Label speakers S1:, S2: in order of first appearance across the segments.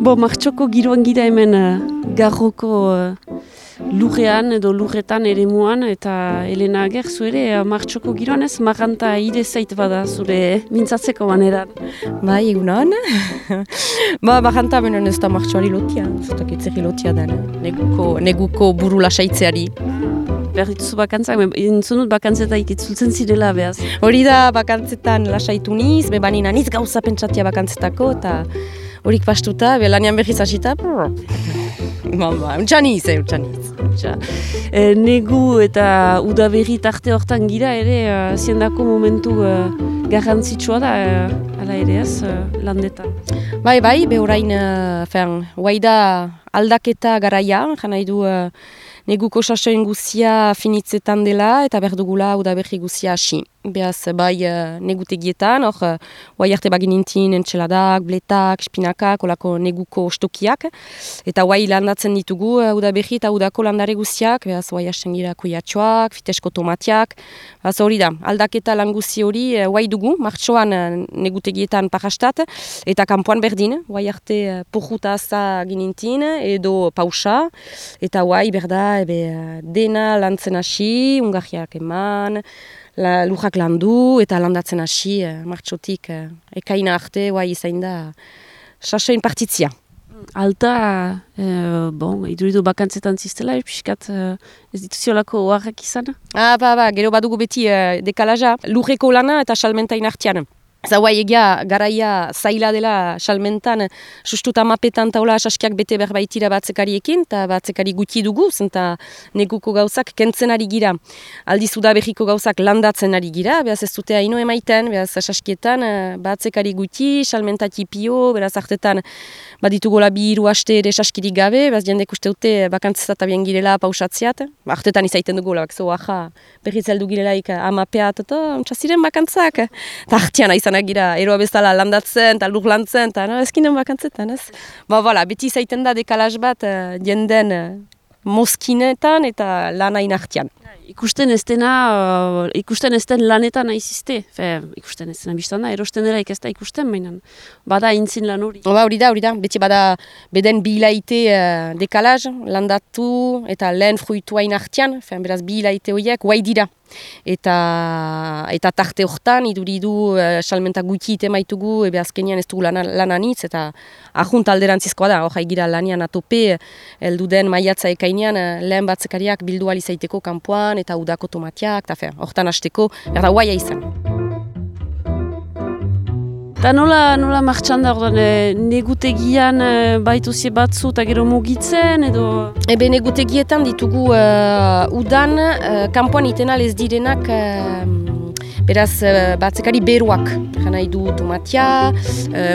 S1: Martxoko giroan gira hemen Garroko lurrean edo lurretan eremuan, eta Elena Ager, zu ere Martxoko giroan ez, marranta ide zait bada zure mintzatzeko maneran.
S2: Bai, egunon. Marranta benen ez da martxoari lotia, zutak itzeri lotia den, neguko buru lasaitzeari.
S1: Behar dituzu bakantzak, entzunut bakantzetaik itzultzen zirela behaz.
S2: Hori da bakantzetan lasaitu niz, bebanina niz gauza pentsatia bakantzetako, eta horik pastuta, lanian berriz hasita, utxaniz.
S1: Negu eta udaberri tarte hortan gira ere, ziendako momentu garrantzitsua da, ala ere ez, landetan.
S2: Bai, behorain, guaida aldaketa garaia, jana du neguko sasoen guzia finitzetan dela, eta berdugula udaberri guzia hasi. Beaz, bai negutegietan, guai arte baginintin entxeladak, bletak, spinakak, olako neguko ostokiak, eta guai landatzen ditugu udaberri eta udako landare guztiak, beaz, guai hasten gira kuiatxoak, fitesko tomatiak, beaz, hori da, aldaketa lan guzi hori guai dugu, martxoan negutegietan parastat, eta kanpoan berdin, guai arte porruta aza ginintin, edo pausa, eta guai berda, dena lantzen hasi, ungarriak eman, lujak landu eta landatzen hasi, martxotik ekaina arte, izain da, sasoin partitzia.
S1: Alta, iduridu bakantzetan ziztela, piskat ez dituziolako oharrak izan?
S2: Gero badugu beti dekalaja, lujeko lana eta salmentain artean. Zawai egia garaia zaila dela salmentan, sustuta mapetan taula saskiak bete berbaitira batzekariekin, eta batzekari guti dugu, zenta neguko gauzak kentzen ari gira. Aldiz udaberriko gauzak landatzen ari gira, behaz ez dute haino emaiten, behaz saskietan batzekari guti, salmentati pio, beraz artetan baditugola bi hiru aste ere saskirik gabe, behaz jendek uste dute bakantzezat abien girela pausatziat, artetan izaiten dugu, berriz heldu girelaik amapeat, eta ontsaziren bakantzak, eta artean gira, eroa bezala landatzen, eta lur lantzen, eta ezkinen bakantzetan, ez? Beti izaiten da dekalaz bat jenden mozkinetan eta lanain artean.
S1: Ikusten ez den lanetan aizizte. Ikusten ez dena biztan da, erosten dela ez da ikusten, baina bada intzin lan hori.
S2: Hori da, beti bada beden bilaite dekalaz, landatu eta lehen fruituain artean, beraz bilaite horiek, guai dira. Eta tarte hortan, iduridu salmenta guti ite maitugu, azkenean ez dugu lananitz, eta ahunt alderantzizkoa da, hori gira lanian atope, elduden maiatza ekainean, lehen batzekariak bildu alizaiteko kanpoan, eta udako tomatiak, eta hortan hasteko, berda guaia izan.
S1: Eta nola martxan da, negutegian baituzie batzu eta gero mugitzen, edo?
S2: Negutegietan ditugu udan, kanpoan itenal ez direnak, beraz batzekari beruak, jana idu tomatia,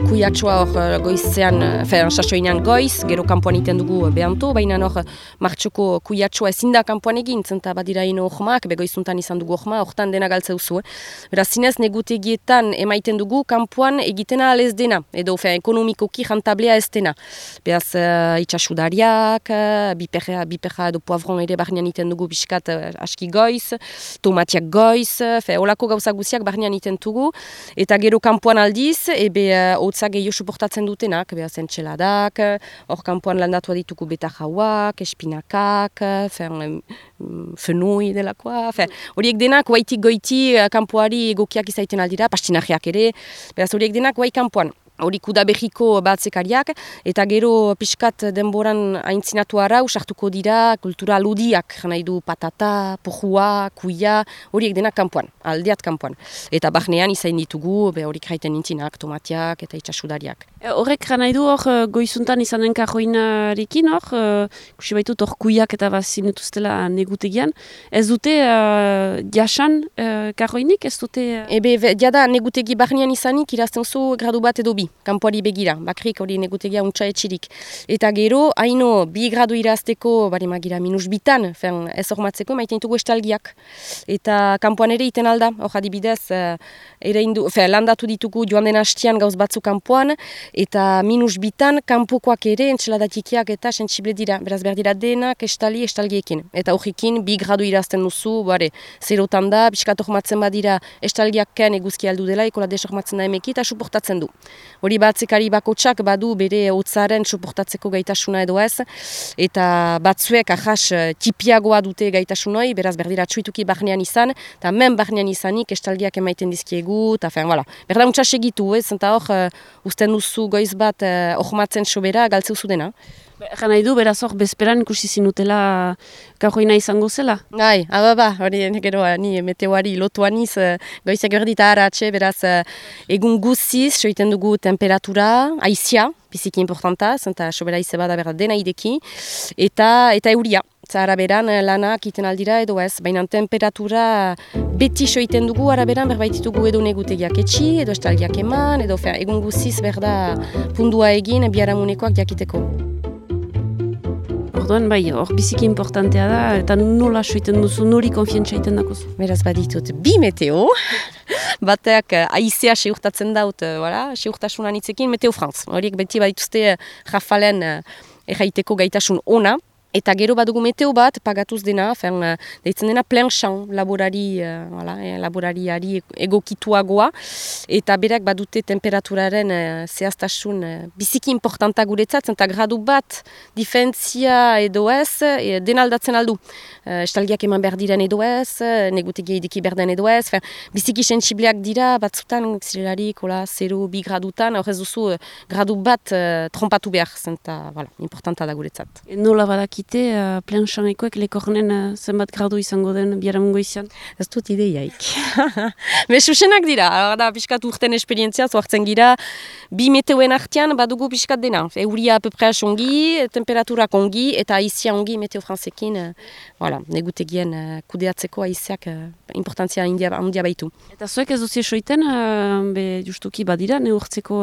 S2: kuiatxoa hor goizean, sasoinean goiz, gero kanpoan iten dugu behanto, baina hor martxoko kuiatxoa ezin da kanpoan egin, zenta badira ino ohmak, begoizuntan izan dugu ohma, hortan dena galtzeuzu. Beraz zinez negutegietan emaiten dugu kanpoan egitena alez dena, edo ekonomikoki jantablea ez dena. Beraz itxasudariak, biperra edo poavron ere barnean iten dugu biskat aski goiz, tomatiak goiz, olako gauza guziak barnean iten dugu, eta gero kanpoan aldiz, hotzak gehiago suportatzen dutenak, entxeladak, hor kanpoan landatua ditugu beta jauak, espinakak, fenui delakoa, horiek denak guaitik goiti kanpoari egokiak izaiten aldira, pastinajeak ere, beraz horiek denak guai kanpoan. Horik udaberriko batzekariak, eta gero pixkat denboran aintzinatu arau, sartuko dira kultura ludiak, nahi du patata, pojua, kuia, horiek denak kanpoan, aldeat kanpoan. Eta barnean izain ditugu, horik jaiten nintzinak, tomatiak eta itxasudariak.
S1: Horrek nahi du goizuntan izanen kajoinarekin, kusi baitut kuiak eta bazinetuztela negutegian, ez dute jasan kajoinik, ez dute?
S2: Jada negutegi barnean izanik irazten zu gradu bat edo bi. Kanpoari begira, bakrik hori negutegia untsa etxirik. Eta gero, haino, 2 gradu irazteko, bari magira, -2, ez hormatzeko, maiten ditugu estalgiak. Eta kanpoan ere iten alda, hor adibidez, landatu ditugu joan den hastian gauz batzu kanpoan, eta -2 kanpokoak ere, entxeladatikiak eta sentsible dira. Beraz berdira denak estalgiekin. Eta horrekin, 2 gradu irazten duzu, zerotan da, biskat hormatzen badira estalgiak ken eguzki aldu dela, ekola desormatzen da emeki, eta suportatzen du. hori batzekari bakotsak badu bere hotzaren soportatzeko gaitasuna edo ez, eta batzuek ahas tipiagoa dute gaitasunoi, beraz berdira txuituki barnean izan, eta men barnean izanik estalgiak emaiten dizkiegu, eta voilà. Berda untsa segitu, eta hor, usten duzu goiz bat ohmatzen sobera galtzeu zudena.
S1: Egan nahi du, beraz hor, bezperan ikusi zinutela gaurroina izango zela?
S2: Bai, hori gero, ni meteoari lotuan iz, goizak berdita haratxe, beraz, egun guziz, soiten dugu temperatura, aizia, biziki importanta, zenta sobera ize bada berda dena ideki, eta euria. Araberan lanak iten aldira edo ez, baina temperatura beti soiten dugu, araberan berbaititugu edo negutegiak etxi, edo estalgiak eman, edo egun guziz berda pundua egin biharamunekoak jakiteko.
S1: Orduan, bai, hor biziki importantea da, eta nola soiten duzu, nori konfientza iten dakozu?
S2: Beraz baditut, bi meteo, bateak aizea seurtatzen daut, seurtasunan itzekin, Meteo France. Horiek beti badituzte Rafalen erraiteko gaitasun ona, eta gero badugu meteo bat, pagatuz dena, deitzen dena plein champ laborariari egokituagoa, eta berak badute temperaturaren zehaztasun biziki importanta guretzat, eta gradu bat diferentzia edo ez, dena aldatzen aldu. Estalgiak eman behar diren edo ez, negutegia ideki berden edo ez, biziki sensibliak dira, batzutan zirelarik, 0-2 gradutan, horrez duzu gradu bat trompatu behar, zenta, importanta da guretzat.
S1: Nola badakite, plein champekoek lekornen zenbat gradu izango den biharamungo izan?
S2: Ez dut ideiaik. Susenak dira, da piskat urten esperientzia, zoartzen gira, bi meteoen artean badugu piskat dena. Euria apepres ongi, temperaturak ongi, eta aizia ongi Meteo Francekin, negutegien kudeatzeko aiziak importantzia handia baitu.
S1: Eta zuek ez duzie soiten, justuki badira, neurtzeko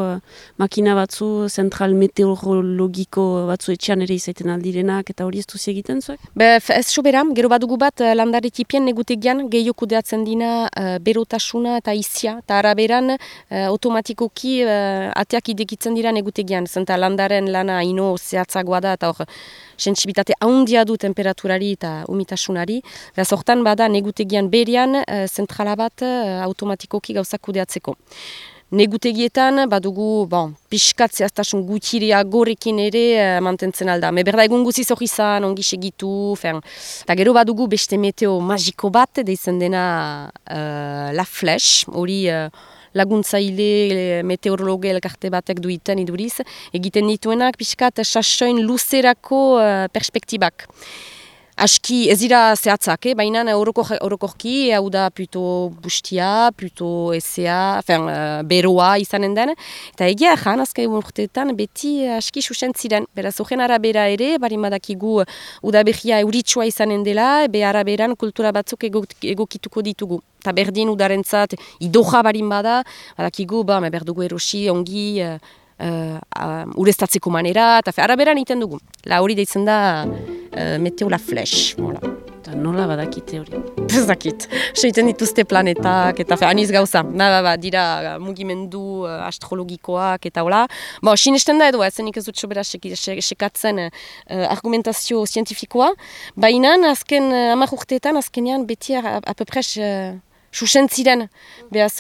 S1: makina batzu, zentral meteorologiko batzu etxean ere izaiten aldirenak, eta hori ez duzi egiten zuek?
S2: Ez sobera, gero badugu bat landaretipien negutegian gehiago kudeatzen dina berotasuna eta aizia, eta araberan automatikoki ateak idekitzen dira negutegian, zenta landaren lana ino zehatzagoa da, eta hor sentsibilitate handia du temperaturari eta umitasunari. Beraz, hortan bada negutegian berian zentrala bat automatikoki gauzak kudeatzeko. Negutegietan badugu pixkat zehaztasun gutxiria gorekin ere mantentzen alda. Berda egun guziz hori izan, ongi segitu, eta gero badugu beste meteo magiko bat, deitzen dena La Flèche, hori laguntzaile meteorologe elkarte batek duiten iduriz, egiten dituenak pixkat sasoin luzerako perspektibak. Aski ez dira zehatzak, baina orokorki hau da pluto bustia, pluto ezea, beroa izanen den. Eta egia ezan, azkai urteetan beti aski susen ziren. Beraz, horren arabera ere, barin badakigu udaberria euritsua izanen dela, be araberan kultura batzuk egokituko ditugu. Eta berdin udarentzat idoja barin bada, badakigu, berdugu erosi, ongi, ureztatzeko manera, eta araberan iten dugu. Hori deitzen da Meteo La Flèche.
S1: Eta nola badakite hori?
S2: Ez dakit. Seiten dituzte planetak, eta aniz gauza. Dira mugimendu astrologikoak, eta hola. Sinesten da edo, zenik ez dut sobera sekatzen argumentazio zientifikoa. Baina, azken 10 urteetan, azkenean beti apepres susen ziren, behaz,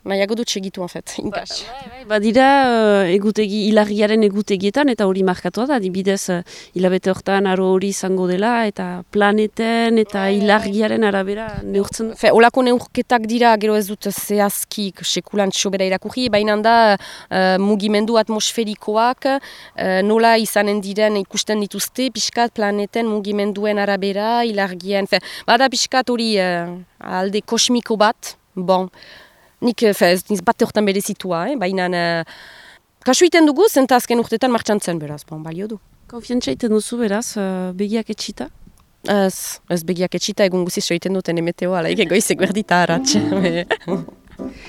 S2: nahiago dut segitu, en fet, inkas.
S1: Badira, hilarriaren egutegietan, eta hori markatua da, dibidez, hilabete hortan aro hori izango dela, eta planeten, eta hilarriaren arabera neurtzen.
S2: Olako neurketak dira, gero ez dut zehazki sekulan sobera irakurri, baina da mugimendu atmosferikoak, nola izanen diren ikusten dituzte, pixkat planeten mugimenduen arabera, hilarrien, bada pixkat hori alde kosmiko bat, nik ez bat hortan berezitua, baina kasu iten dugu, zenta azken urtetan martxan zen, beraz, balio du.
S1: Konfiantza iten duzu, beraz, begiak etxita?
S2: Ez begiak etxita, egun guziz soiten duten emeteoa, egoizek berdita haratxe.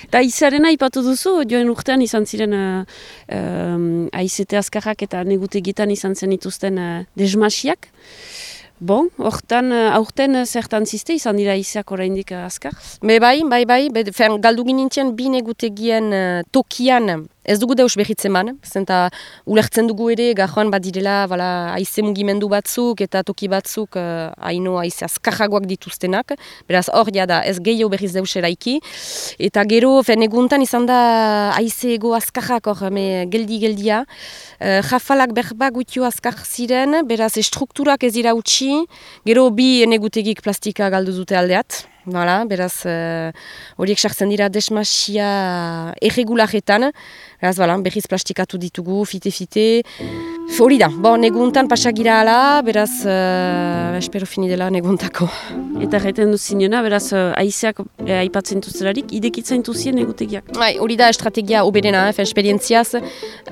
S1: Eta izarena ipatu duzu, joen urtean izan ziren aizete azkarrak eta negutegietan izan zen ituzten desmasiak. Hortan, aurten zertan ziste izan dira izeak oraindik azkar?
S2: Bai, galdu ginintzen bi negutegien tokian Ez dugu deus behitzen man, zenta ulertzen dugu ere, gajoan bat direla, haize mugimendu batzuk eta toki batzuk haino haize azkarragoak dituztenak, beraz hor da ez gehiago berriz deus eraiki, eta gero, eguntan izan da haize ego azkarrak hor, geldi-geldia, jafalak berba gutio azkar ziren, beraz strukturak ez dira utzi, gero bi enegutegik plastika galdu dute aldeat, beraz horiek sartzen dira desmasia erregularetan, beraz berriz plastikatu ditugu, fite-fite, hori da, neguntan pasagira ala, beraz espero fini dela neguntako.
S1: Eta gaiten duzinena, beraz haizeak aipatzen duzelarik, idekitzen duzien egutegiak.
S2: Hori da estrategia oberena, esperientziaz,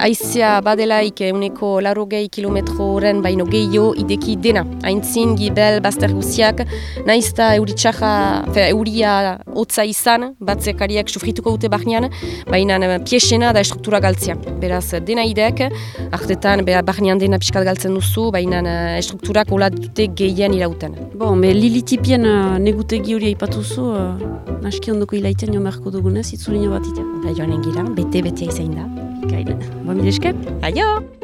S2: haizea badelaik uneko 80 kilometroren baino gehiago ideki dena. Aintzin, gibel, bazter guziak, naizta euria hotza izan, batzekariak sufrituko dute barnean, baina piesena da struktura galtzea. Beraz, dena idek, artetan barnean dena piskat galtzen duzu, baina strukturak hola dute gehien irauten.
S1: Lilitipien negutegi hori aipatuzu, naski ondoko ilaiten jo merko dugunez, itzulino bat ita.
S2: Joan engira, bete-betea izain da.
S1: Ikain, mile esker.
S2: Aio!